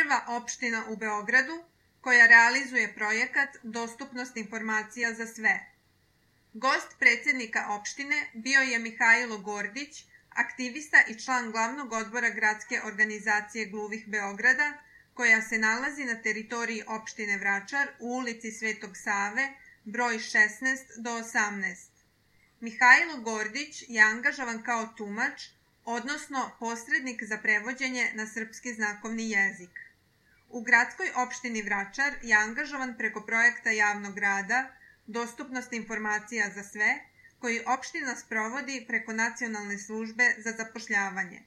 prva opština u Beogradu koja realizuje projekat Dostupnost informacija za sve. Gost predsjednika opštine bio je Mihajlo Gordić, aktivista i član glavnog odbora gradske organizacije gluvih Beograda, koja se nalazi na teritoriji opštine Vračar u ulici Svetog Save, broj 16 do 18. Mihajlo Gordić je angažovan kao tumač, odnosno posrednik za prevođenje na srpski znakovni jezik. U gradskoj opštini Vračar je angažovan preko projekta javnog rada Dostupnost informacija za sve, koji opština sprovodi preko Nacionalne službe za zapošljavanje.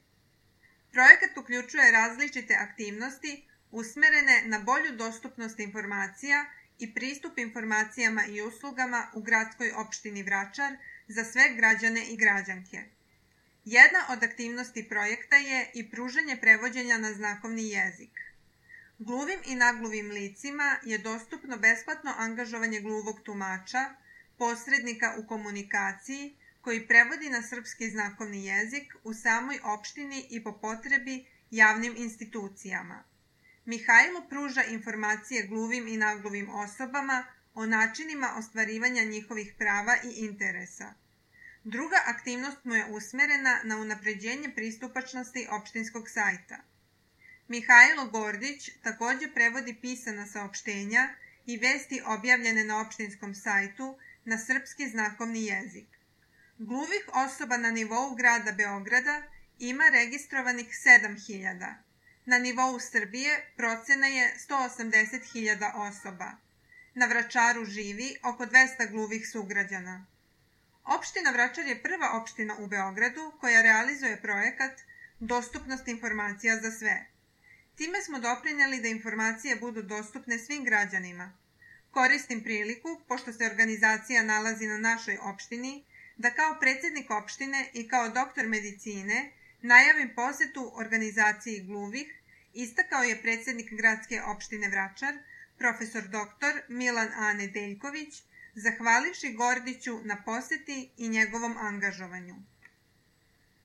Projekat uključuje različite aktivnosti usmerene na bolju dostupnost informacija i pristup informacijama i uslugama u gradskoj opštini Vračar za sve građane i građanke. Jedna od aktivnosti projekta je i pružanje prevođenja na znakovni jezik. Gluvim i nagluvim licima je dostupno besplatno angažovanje gluvog tumača, posrednika u komunikaciji, koji prevodi na srpski znakovni jezik u samoj opštini i po potrebi javnim institucijama. Mihajlo pruža informacije gluvim i nagluvim osobama o načinima ostvarivanja njihovih prava i interesa. Druga aktivnost mu je usmerena na unapređenje pristupačnosti opštinskog sajta. Mihajlo Gordić također prevodi pisana saopštenja i vesti objavljene na opštinskom sajtu na srpski znakovni jezik. Gluvih osoba na nivou grada Beograda ima registrovanih 7.000. Na nivou Srbije procena je 180.000 osoba. Na Vračaru živi oko 200 gluvih sugrađana. Opština Vračar je prva opština u Beogradu koja realizuje projekat Dostupnost informacija za sve. Time smo doprineli da informacije budu dostupne svim građanima. Koristim priliku, pošto se organizacija nalazi na našoj opštini, da kao predsjednik opštine i kao doktor medicine najavim posetu organizaciji gluvih, istakao je predsjednik gradske opštine Vračar, profesor dr. Milan A. Nedeljković, zahvalivši Gordiću na poseti i njegovom angažovanju.